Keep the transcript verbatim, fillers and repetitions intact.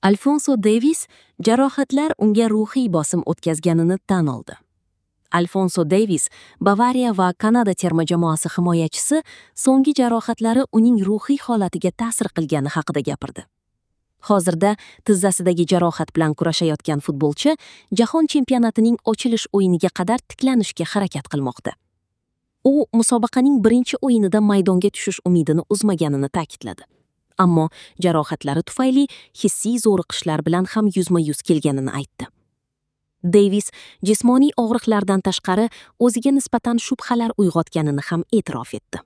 Alfonso Devis jarohatlar unga ruhiy bosim o'tkazganini tan oldi. Alfonso Devis, Bavariya va Kanada terma jamoasi himoyachisi so'nggi jarohatlari uning ruhiy holatiga ta'sir qilgani haqida gapirdi. Hozirda tizzasidagi jarohat bilan kurashayotgan futbolchi jahon chempionatining ochilish o'yiniga qadar tiklanishga harakat qilmoqda. U musobaqaning birinchi o'yinida maydonga tushish umidini uzmaganini ta'kidladi. Ammo jarohatlari tufayli hissiy zo'riqishlar bilan ham yuzma-yuz kelganini aytdi. Devis jismoniy og'riqlardan tashqari o'ziga nisbatan shubhalar uyg'otganini ham e'tirof etdi.